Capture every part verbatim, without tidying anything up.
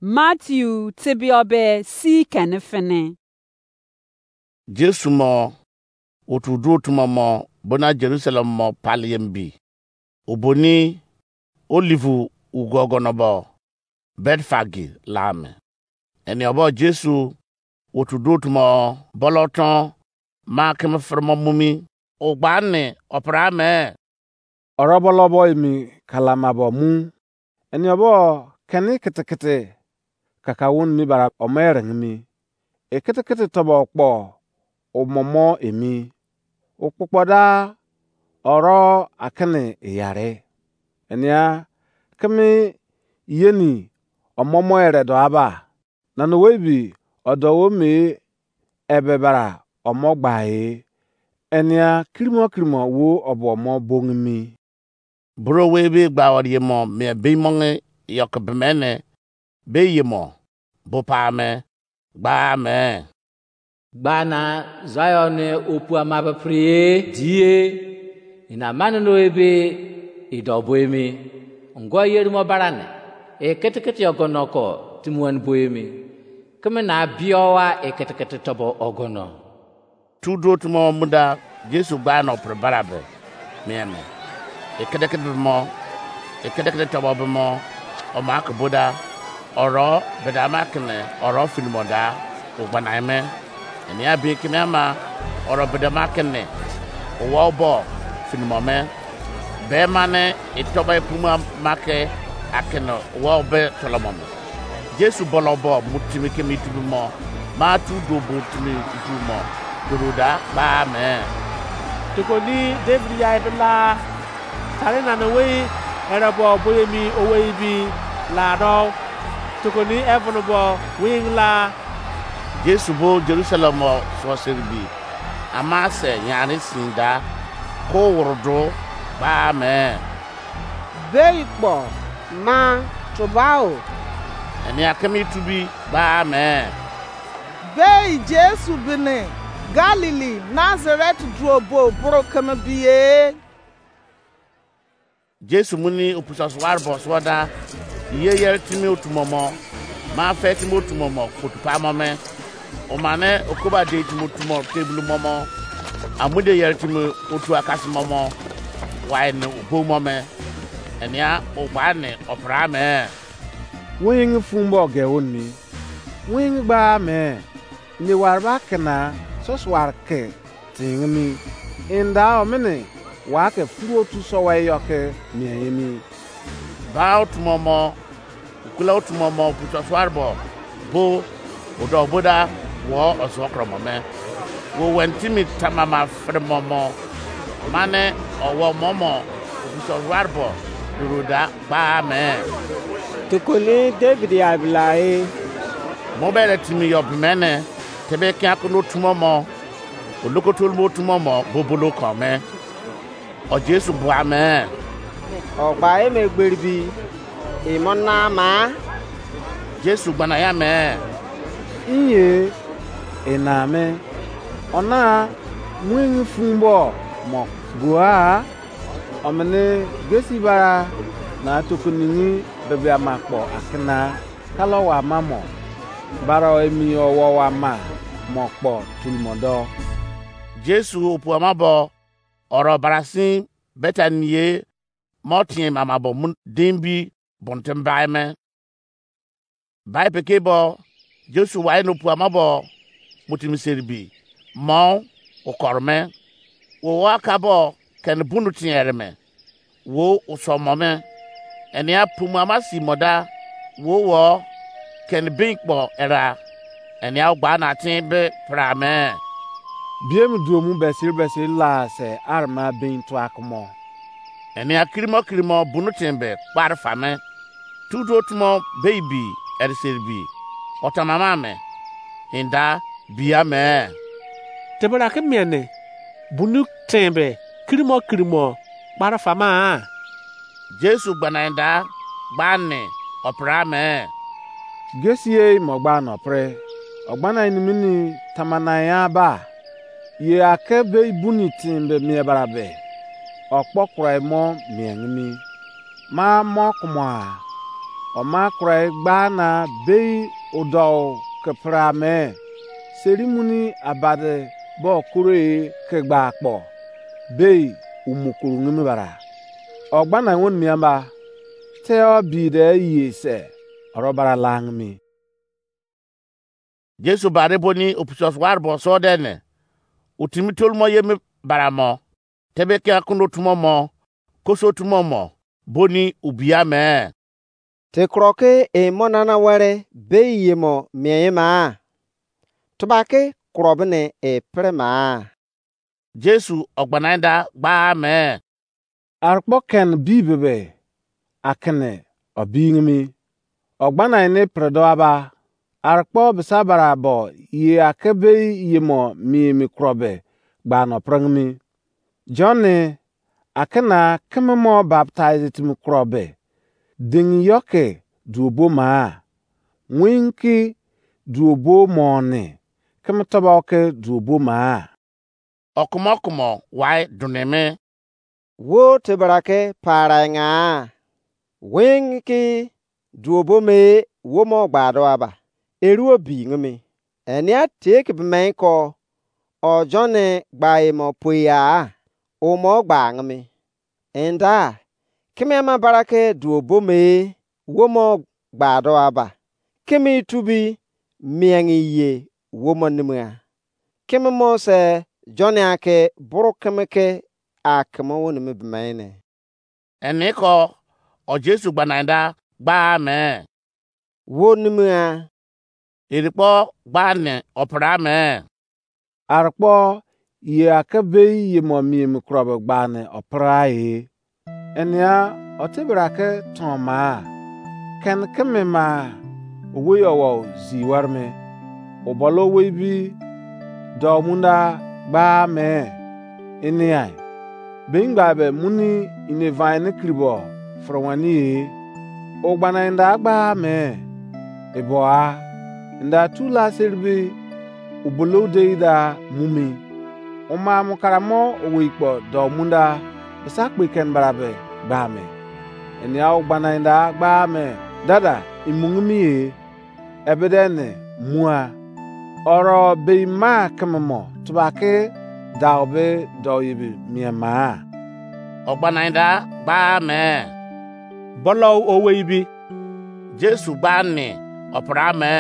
Matthew tebiobe si kene fene. Jesu mo otu duo tuma mo bona Jerusalem mo paliem bi. Oboni Olive ugogono bo Betfagi lame. Eni obo Jesu otu duo tuma boloton ma keme fremo mumi. Ogbani opra me. Orobolobo emi kalamabo mu. Eni obo keni kitikiti kakawon mi bara omo erengimi. Ekitikiti tobo kpo omomo emi. Okpukpo da oro akini iyare. Enia kimi yeni omomo ere do aba. Nana owei bi odo wo me ebe bara omo gba e. Enia kirimo kirimo wo obo omo bongimi. Bro we be gba wari mo me be mo nge yok bemene be ye mo bo pa me gba me. Gba na Zion opu ama be priye die. Ina mane no ebe ido bo emi. Ngo yeri mo barane. Eketekete ogono ko timuan bo emi. Keme na biowa eketekete tobo ogono. Tu do tumo muda Jesu gba no pre barabe. Mieme. Ekedekede mo. Ekedekede tobo be mo. O ma ke boda. Oro bedama kene oro finimo da. Ogbana eme. Eni abi keme ama oro bedama kene. Owa obo finimo me. Be mane itoba epuma make akene owa obe tolomo me. Jesu bolo bo mutimi kemi tubi mo. Ma tu do bo timi itu mo. Duruda ba me. Tokoni David ya ibila. Tare nana wei erebo boyemi owei bi lado. Tokoni evon bo wing la. Jesu bo Jerusalem o so serbi. Ama se nyani sinda. Ko wurdu ba me. Bei kpo ma tubao. Eni akemi tubi ba me. Bei Jesu bini Galili Nazareth duo bo bro keme biye. Jesu muni opusa suwar bo suwada. Iye yere timi otumomo. Ma fe timi otumomo kotu pamo me. Omane okoba de timi otumo tebulu momo. Amude yere timi otu akasi momo. Wai ne obo mo me. Enia ogba ne opra me. Wonyengi fun bo ge oni. Wonyengi gba me. Ne warba kena sosuar ke tingimi. Inda omini wa ke furu otu sowa eyo ke mien emi. Ba otumomo, ukula otumomo puto suarbo bo odo boda wo oso kromo me. Wo wen timi tamama fremomo. Mane owo momo puto suarbo duruda ba me. Tukuni David ya bilai. Mo bele timi yo bimene tebe kia kuno tumomo. Oloko tolmo tumomo bobolo kome. O Jesu bua me. O gba eme gberibi. Imo na ma. Jesu gbana ya me. Iye ina me. Ona muengi fumbo mo bua. Omene gesi bara na tukuningi bebe ama kpo akina kalo wa mamo. Bara emi owo wa ma mo kpo tulmo do. Jesu opu ama bo oro barasin Betani ye mo tien mama bo mun dimbi bonten bai me. Bai peke bo Jesu wai no pu ama bo mutim seribi mo okor me. Wo wa ka bo ken bunu tien ere me. Wo usomo me. Enia pumu ama si mo da. Wo wo ken bin kpo era. Enia ogba na tin be pra me. Biem duomu besir besir la se arma bin tuak mo. Enia kirimo kirimo bunu tin be kpar fa me. Tutu otumo baby eriseribi. Otamama me. Inda bia me. Tebra ke miene bunu tembe kirimo kirimo kpara fama. Jesu gbana inda gbani opra me. Gesiei mo gba no pre. Ogbana inimini tamana ya ba. Ye ake be buni timbe mie barabe. Okpo kurai mo miengimi. Ma mo kumoa. Oma kurai gba na bei udou ke pere ame, seri muni abade bo koro e ke gba kpo, bei umu kuru ngimi bara. Ogbana won miamba, te o bi de ye se, oro bara lang mi. Jesu bare boni opusos war bo so de ne, utimi tolumo ye mi bara mo, tebe ke akundo tumo mo, koso tumo mo, boni ubia me. Te kuro ke e mo nana were bei ye mo mien ye ma? Tuba ke kuro bene e pere ma? Jesu ogbanaida gba me. Arkpo ken bi bebe akene obingimi. Ogbana ene predo aba. Arkpo bisabara bo ye ake bei ye mo mi mi krobe gba no prengimi. John ne akena keme mo baptize timi krobe. Ding yoke duobo ma. Winki duobo mo ne keme tobo ke duobo ma. Okumo okumo wai duneme. Wo te bra ke parai nga. Wing ki duobo me wo mo gba do aba. Eru obi ngimi. Enia te ke bemai ko o John gba e mo poi ya. O mo gba ngimi. Enda keme ama bara ke duobo me wo mo gba do aba. Keme itubi miengi ye wo mo nimia. Keme mo se John ake buru keme ke akeme wonimi bemene. Eniko o Jesu gbanaida gba me. Wo nimia. Eri kpo gba ne opra me. Arkpo ye ake bei ye mo mie mi krobe gba ne opra e. Enia otebra ke ton ma. Ken keme ma owei owo zi were me. Obolo owei bi do munda gba me. Enia be ngba be muni ine vine kiribo fere wani e. Ogbana inda gba me. Ebo a inda tu la seribi ubolo dei da mumi. Uma mukaramo owei kpo do munda bisa kpe ken barabe gba me. Enia ogbana inda gba me dada imungimi e. Ebede ne mua. Oro bei ma keme mo tubake dau be dau yibi mie ma. Ogbanaida gba me. Bolo owei bi. Jesu gba ni opra me.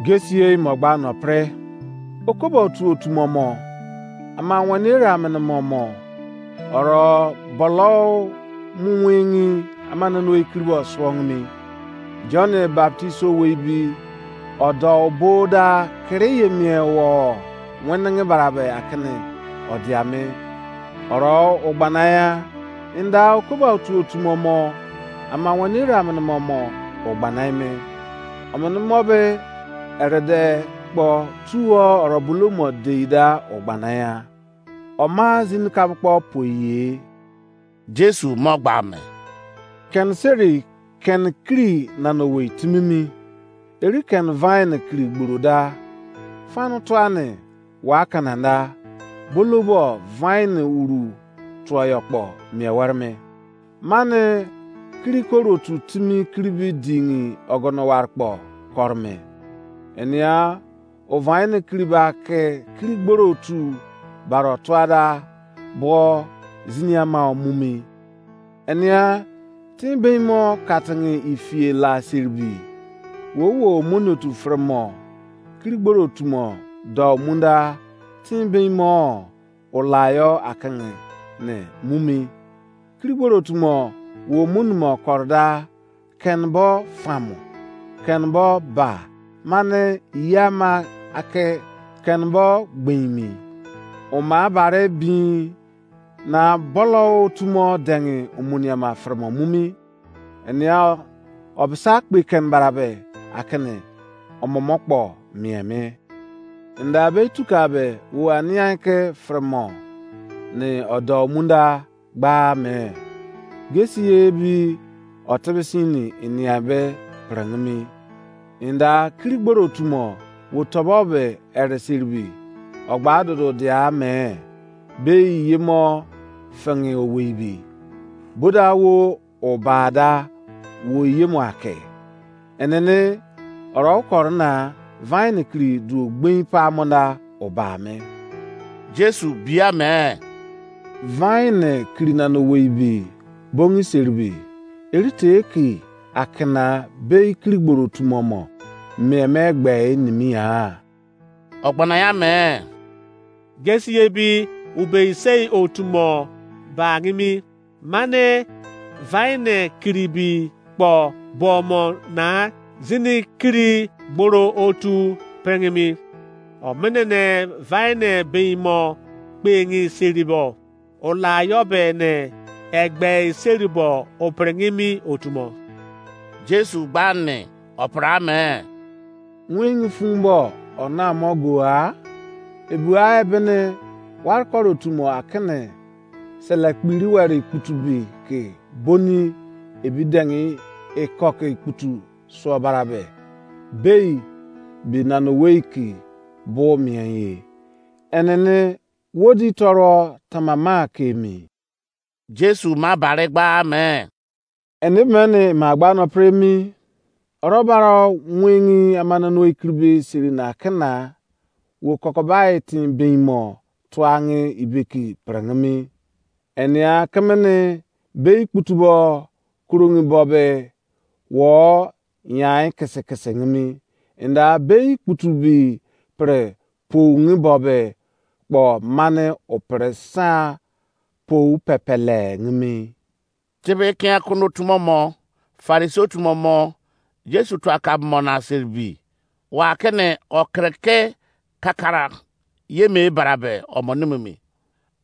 Gesiei mo gba no pre. Okobo otu otu mo mo. Ama wani era mene mo mo. Oro bolo mu wingi ama nanu ekiribo suongimi. John baptizo wei bi odo obo da kere ye mie wo wenenge barabe akene odiame. Oro ogbanaya inda okoba otu otu mo mo ama wani ira mene mo mo ogbanai me. Omene mo be erede kpo tuo oro bulu mo deida ogbanaya. Oma zini kabo kpo poiye. Jesu mo gba me. Ken seri ken kiri nana owei timimi. Eri ken vine kiri gboro da. Fanu tuani wa kananda. Bolobo vine uru tuoyo kpo mie were me. Mane kiri koro otu timi kiri bi dingi ogono ware kpo kore me. Enia ovain kiri ba ke kiri gboro otu baro tuada bo zini ama omumi. Enia tin bein mo katingi ifie la seribi. Wo wo omoni otu fere mo kiri gboro otu mo do munda tin bein mo ulayo akingi ne mumi. Kiri gboro otu mo wo omoni mo korda ken bo famo, ken bo ba, mane yama ake ken bo gbeimi. Oma bare bin na bolo otu mo dengi omoni ama fere mo mumi. Enia obisa kpe ken barabe akene omomo kpo mie me. Nda be tuka be wo anian ke fere mo ne odo munda gba me. Gesi ye bi otebe sini inian be prengimi. Nda kiri gboro otu mo wo tobo be ere seribi. Ogba dodo dia me. Be iye mo fengi owei bi. Boda wo obada wo yemo ake. Enene oro koro na vine kiri duo gbin pa monda obame. Jesu bia me, vine kiri na no weibi bongi seribi, erite ki akena bei kiri gboro tumomo me me gbe nimi ha. Ogbana ya me, gesi ye bi ubei sei otumo ba ngimi, mane vine kiribi kpo bomo na zini kiri gboro otu prengimi. Omenene vine beimo kpengi seribo, olayo be ne egbei seribo oprengimi otumo. Jesu gba ni opra me, wing fun bo ona mo go a. Ebua ebene war koro tumo akene sele kpiri were ikputu bi ke boni ebi dengi eko ke ikputu suo barabe. Bei bi nano wei ki bo mien ye. Enene wodi toro tamama ke emi. Jesu ma bare gba me, ene mene ma gba no pre mi. Oro baro wingi amana no ikribi siri na kena wo kokobai tin beimo tuangi ibeki prengimi. Enia kemene bei kputubo kurungi bobe wo nyai kese kese ngimi. Enda bei kputubi pre poungi bobe kpo mane opre sa pou pepele ngimi. Tebe kia kono tumomo, Farisi otumomo, Jesu tu akabumo na seribi. Wa kene okreke kakara ye me barabe omo nimimi.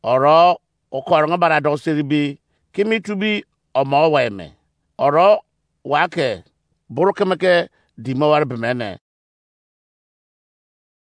Oro okorongo bara do seribi, kimi tubi omo wa eme. Oro wa ke buru keme ke di mo ware bemene.